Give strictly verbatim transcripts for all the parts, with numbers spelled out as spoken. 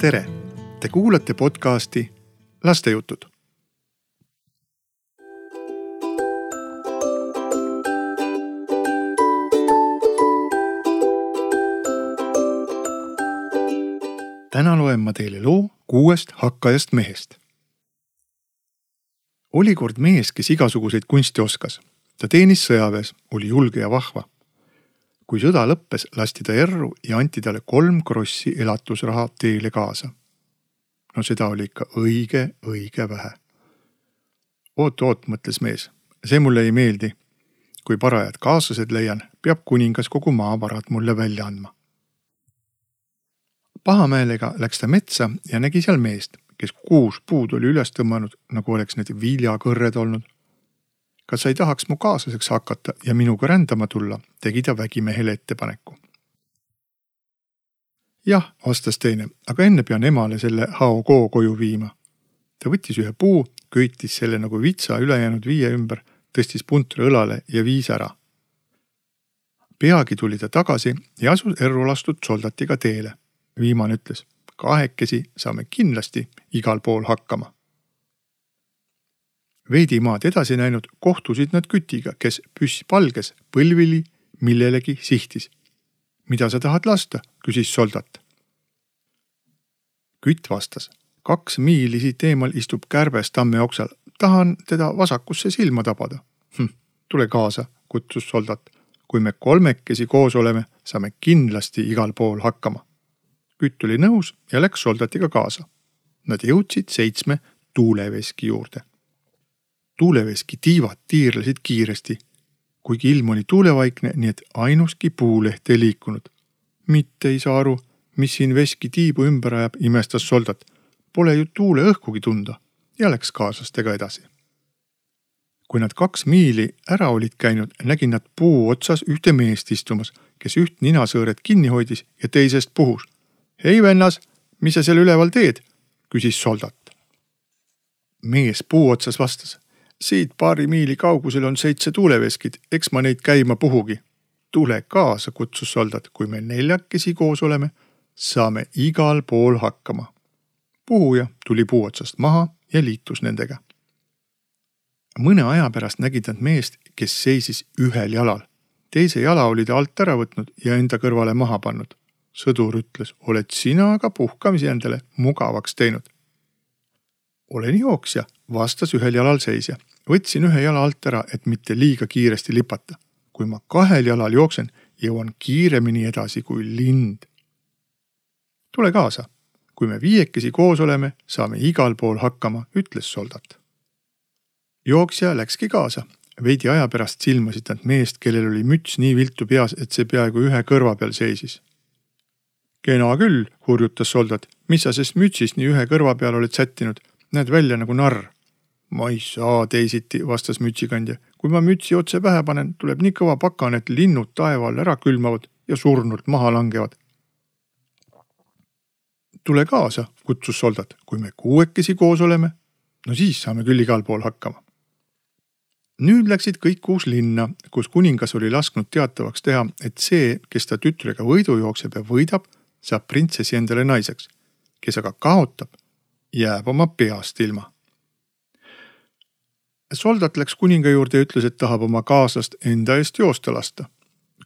tere! Te kuulate podcasti Lastejutud. Täna loen ma teile loo kuuest hakkajast mehest. Oli kord mees, kes igasuguseid kunsti oskas. Ta teenis sõjaväes, oli julge ja vahva. Kui sõda lõppes, lasti ta erru ja anti talle kolm krossi elatusraha teele kaasa. No seda oli ikka õige, õige vähe. Oot, oot, mõtles mees. See mulle ei meeldi. Kui parajad kaaslased leian, peab kuningas kogu maavarad mulle välja andma. Pahameelega läks ta metsa ja nägi seal meest, kes kuus puud oli üles tõmmanud, nagu oleks need viljakõrred olnud. Kas sa ei tahaks mu kaaslaseks hakata ja minuga rändama tulla, tegi ta vägimehele ettepaneku. Jah, vastas teine, aga enne pean emale selle haokoo koju viima. Ta võttis ühe puu, köitis selle nagu vitsa ülejäänud viie ümber, tõstis puntra õlale ja viis ära. Peagi tuli ta tagasi ja asus erru lastud soldatiga teele. Viimane ütles, kahekesi saame kindlasti igal pool hakkama. Veidi maad edasi näinud kohtusid nad kütiga, kes püss palges põlvili millelegi sihtis. Mida sa tahad lasta, küsis soldat. Kütt vastas, kaks miili siit eemal istub kärbes tamme oksal. Tahan teda vasakusse silma tabada. Hm, tule kaasa, kutsus soldat. Kui me kolmekesi koos oleme, saame kindlasti igal pool hakkama. Kütt oli nõus ja läks soldatiga kaasa. Nad jõudsid seitsme tuuleveski juurde. Tuuleveski tiivad tiirlesid kiiresti, kuigi ilm oli tuulevaikne, nii et ainuski puuleht ei liikunud. Mitte ei saa aru, mis siin veski tiibu ümber ajab, imestas soldat. Pole ju tuule õhkugi tunda ja läks kaaslastega edasi. Kui nad kaks miili ära olid käinud, nägin nad puu otsas ühte meest istumas, kes üht ninasõõret kinni hoidis ja teisest puhus. Hei vennas, mis sa seal üleval teed? Küsis soldat. Mees puu otsas vastas. Siit paari miili kaugusel on seitse tuuleveskid, eks ma neid käima puhugi. Tule kaasa, kutsus soldat, kui me neljakesi koos oleme, saame igal pool hakkama. Puhuja tuli puu otsast maha ja liitus nendega. Mõne aja pärast nägid nad meest, kes seisis ühel jalal. Teise jala oli ta alt ära võtnud ja enda kõrvale maha pannud. Sõdur ütles, oled sina aga puhkamisi endale mugavaks teinud. Olen jooksja, vastas ühel jalal seisja. Võtsin ühe jala alt ära, et mitte liiga kiiresti lipata. Kui ma kahel jalal jooksen, jõuan kiiremini edasi kui lind. Tule kaasa. Kui me viiekesi koos oleme, saame igal pool hakkama, ütles soldat. Jooksja läkski kaasa. Veidi aja pärast silmasid nad meest, kellel oli müts nii viltu peas, et see peaaegu ühe kõrva peal seisis. Kena küll, hurjutas soldat. Mis sa sest mütsist nii ühe kõrva peal oled sättinud? Näed välja nagu narr. Ma ei saa teisiti, vastas mütsikandja. Kui ma mütsi otse pähe panen, tuleb nii kõva pakan, et linnud taeval ära külmavad ja surnult maha langevad. Tule kaasa, kutsus soldat. Kui me kuuekesi koos oleme, no siis saame küll igal pool hakkama. Nüüd läksid kõik kuus linna, kus kuningas oli lasknud teatavaks teha, et see, kes ta tütrega võidu jookseb ja võidab, saab printsessi endale naiseks, kes aga kaotab, jääb oma peast ilma. Soldat läks kuninga juurde ja ütles, et tahab oma kaaslast enda eest joosta lasta.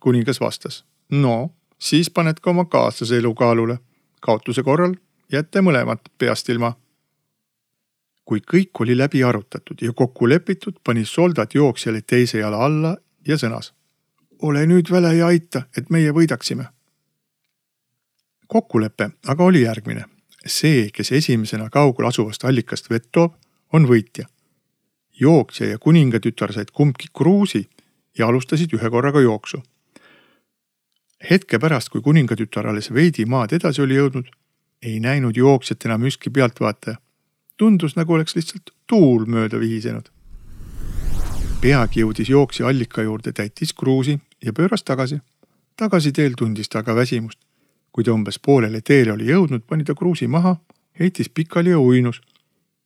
Kuningas vastas, no, siis paned ka oma kaaslase elu kaalule. Kaotuse korral jätte mõlemat peast ilma. Kui kõik oli läbi arutatud ja kokku lepitud, pani soldat jooksjale teise jala alla ja sõnas. Ole nüüd väle ja aita, et meie võidaksime. Kokkulepe aga oli järgmine. See, kes esimesena kaugul asuvast allikast vett toob, on võitja. Jooksja ja kuningatütar said kumbki kruusi ja alustasid ühe korraga jooksu. Hetke pärast, kui kuningatütar alles veidi maad edasi oli jõudnud, ei näinud jooksjat enam ükski pealtvaataja. Tundus, nagu oleks lihtsalt tuul mööda vihisenud. Peagi jõudis jooksja allika juurde, täitis kruusi ja pööras tagasi. Tagasi teel tundis ta aga väsimust. Kui ta umbes poolele teele oli jõudnud, pani ta kruusi maha, heitis pikali ja uinus.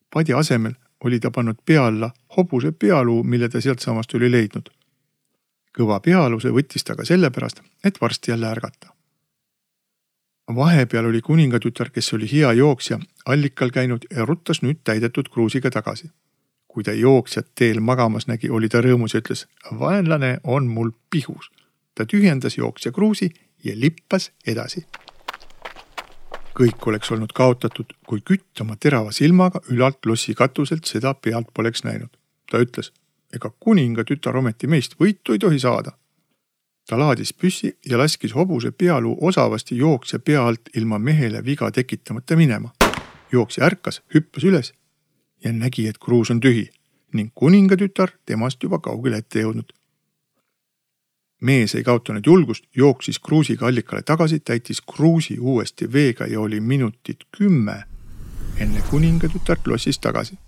Padi asemel oli ta pannud pea alla hobuse pealuu, mille ta sealt samast oli leidnud. Kõva pealuse võttis ta ka sellepärast, et varsti jälle ärgata. Vahepeal oli kuningatütar, kes oli hea jooksja, allikal käinud ja ruttas nüüd täidetud kruusiga tagasi. Kui ta jooksjat teel magamas nägi, oli ta rõõmus ja ütles, vaenlane on mul pihus. Ta tühjendas jooksja kruusi ja lippas edasi. Kõik oleks olnud kaotatud, kui kütt oma terava silmaga ülalt lossi katuselt seda pealt poleks näinud. Ta ütles, ega kuningatütar ometi meist võitu ei tohi saada. Ta laadis püssi ja laskis hobuse pealuu osavasti jooksja pea alt ilma mehele viga tekitamata minema. Jooksja ärkas, hüppas üles ja nägi, et kruus on tühi ning kuningatütar temast juba kaugele ette jõudnud. Mees ei kaotanud julgust, jooksis kruusiga allikale tagasi, täitis kruusi uuesti veega ja oli minutit kümme enne kuningatütart lossis tagasi.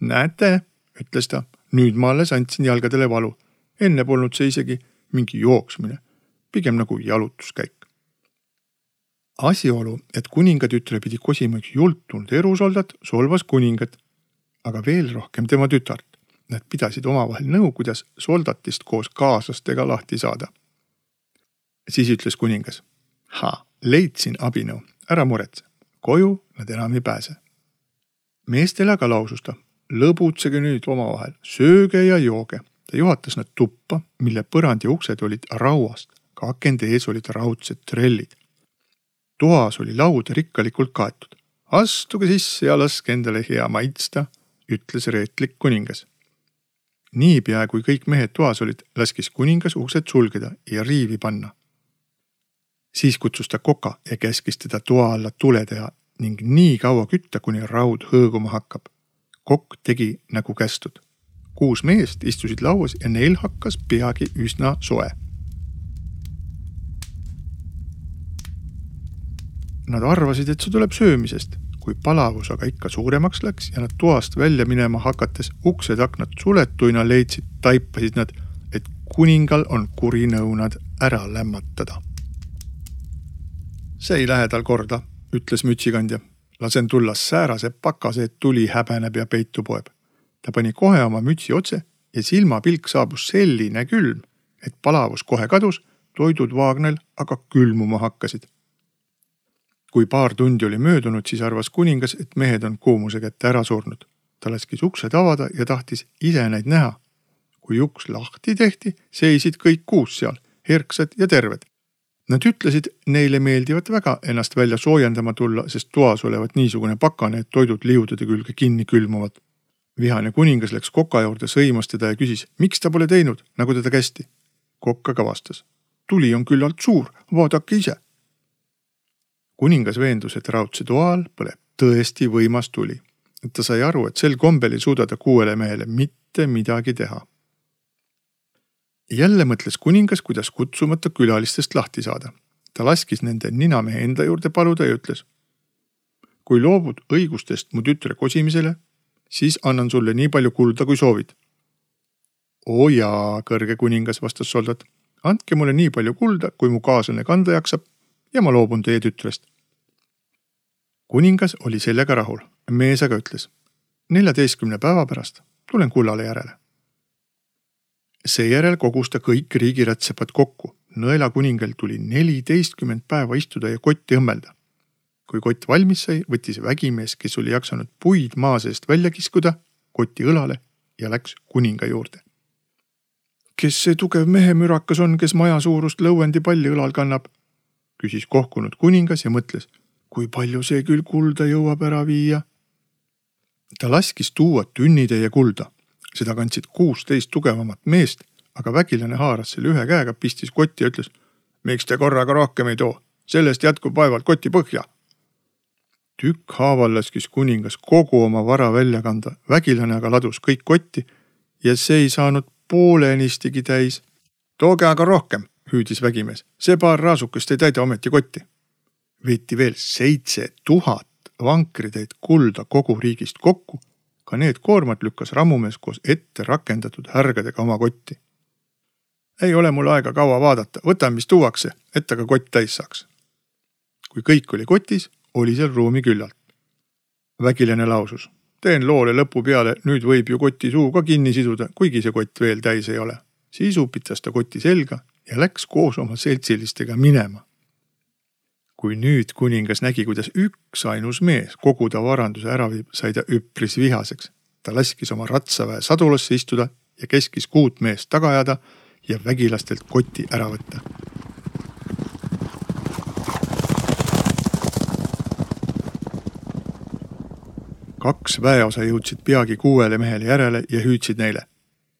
Näete, ütles ta, nüüd ma alles andsin jalgadele valu. Enne polnud see isegi mingi jooksmine, pigem nagu jalutuskäik. Asjaolu, et kuningatütre pidi kosima üks jultunud erusoldat, solvas kuningat, aga veel rohkem tema tütart. Nad pidasid omavahel nõu, kuidas soldatist koos kaaslastega lahti saada. Siis ütles kuningas, ha, leidsin abinõu, ära muretse, koju nad enam ei pääse. Meestele aga lausus ta, lõbutsege nüüd omavahel, sööge ja jooge. Ta juhatas nad tuppa, mille põrand ja uksed olid rauast, ka akende ees olid raudsed trellid. Toas oli laud rikkalikult kaetud. Astuge sisse ja laske endale hea maitsta, ütles reetlik kuningas. Niipea, kui kõik mehed toas olid, laskis kuningas uksed sulgeda ja riivi panna. Siis kutsus ta koka ja käskis teda toa alla tule teha ning nii kaua kütta, kuni raud hõõguma hakkab. Kokk tegi nagu kästud. Kuus meest istusid lauas ja neil hakkas peagi üsna soe. Nad arvasid, et see tuleb söömisest, kui palavus aga ikka suuremaks läks ja nad toast välja minema hakates uksed aknad suletuina leidsid, taipasid nad, et kuningal on kuri nõu nad ära lämmatada. See ei lähe tal korda, ütles mütsikandja. Lasen tulla säärase pakase, et tuli häbeneb ja peitu poeb. Ta pani kohe oma mütsi otse ja silmapilk saabus selline külm, et palavus kohe kadus, toidud vaagnel aga külmuma hakkasid. Kui paar tundi oli möödunud, siis arvas kuningas, et mehed on kuumuse kätte ära surnud. Ta laskis uksed avada ja tahtis ise neid näha. Kui uks lahti tehti, seisid kõik kuus seal, herksad ja terved. Nad ütlesid, neile meeldivat väga ennast välja soojendama tulla, sest toas olevat niisugune pakane, et toidud liudade külge kinni külmuvad. Vihane kuningas läks koka juurde, sõimas teda ja küsis, miks ta pole teinud, nagu teda kästi. Kokk aga vastas, tuli on küllalt suur, vaadake ise. Kuningas veendus, et raudse toal põleb tõesti võimas tuli. Ta sai aru, et sel kombel ei suuda ta kuuele mehele mitte midagi teha. Jälle mõtles kuningas, kuidas kutsumata külalistest lahti saada. Ta laskis nende ninamehe enda juurde paluda ja ütles, kui loobud õigustest mu tütre kosimisele, siis annan sulle nii palju kulda, kui soovid. Oo jaa, kõrge kuningas, vastas soldat, andke mulle nii palju kulda, kui mu kaaslane kanda jaksab, ja ma loobun teie tütrest. Kuningas oli sellega rahul. Mees aga ütles, neljateistkümne päeva pärast tulen kullale järele. Seejärel kogus ta kõik riigiratsepad kokku. Nõela kuningal tuli neliteistkümmend päeva istuda ja kotti õmmelda. Kui kott valmis sai, võttis vägimees, kes oli jaksanud puid maa seest välja kiskuda, koti õlale ja läks kuninga juurde. Kes see tugev mehe mürakas on, kes maja suurust lõuendi palli õlal kannab? Küsis kohkunud kuningas ja mõtles, kui palju see küll kulda jõuab ära viia. Ta laskis tuua tünnitäie kulda. Seda kandsid kuusteist tugevamat meest, aga vägilane haaras selle ühe käega, pistis kotti ja ütles, miks te korraga rohkem ei too? Sellest jätkub vaevalt koti põhja. Tükk haaval laskis kuningas kogu oma vara välja kanda. Vägilane aga ladus kõik kotti ja see ei saanud poolenistiga täis. Tooge aga rohkem, hüüdis vägimees. See paar raasukest ei täida ometi kotti. Veeti veel seitse tuhat vankritäit kulda kogu riigist kokku. Ka need koormad lükkas rammumees koos ette rakendatud härgadega oma kotti. Ei ole mul aega kaua vaadata, võtan mis tuuakse, et aga kott täis saaks. Kui kõik oli kotis, oli seal ruumi küllalt. Vägilane lausus. Teen loole lõpu peale, nüüd võib ju koti suu ka kinni siduda, kuigi see kott veel täis ei ole. Siis upitas ta koti selga ja läks koos oma seltsilistega minema. Kui nüüd kuningas nägi, kuidas üks ainus mees kogu ta varanduse ära viib, sai ta üpris vihaseks. Ta laskis oma ratsaväe sadulasse istuda ja keskis kuut meest taga ajada ja vägilastelt koti ära võtta. Kaks väeosa jõudsid peagi kuuele mehele järele ja hüüdsid neile.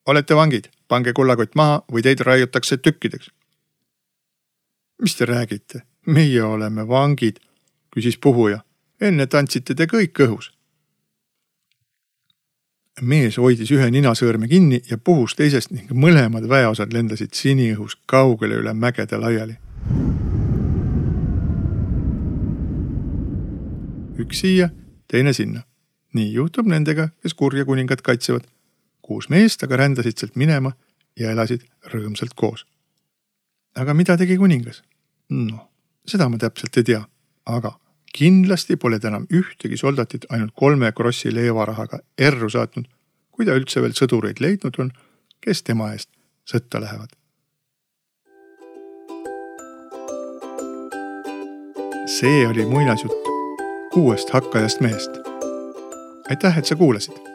Olete vangid, pange kullakott maha või teid raiutakse tükkideks. Mis te räägite? Meie oleme vangid, küsis puhuja. Enne tantsite te kõik õhus. Mees hoidis ühe ninasõõrme kinni ja puhus teisest ning mõlemad väeosad lendasid siniõhus kaugele üle mägede laiali. Üks siia, teine sinna. Nii juhtub nendega, kes kurja kuningat kaitsevad. Kuus meest aga rändasid sealt minema ja elasid rõõmsalt koos. Aga mida tegi kuningas? No, seda ma täpselt ei tea, aga kindlasti pole ta enam ühtegi soldatit ainult kolme krossi leevarahaga erru saatnud, kui ta üldse veel sõdureid leidnud on, kes tema eest sõtta lähevad. See oli muinasjutt kuuest hakkajast mehest. Aitäh, et sa kuulasid!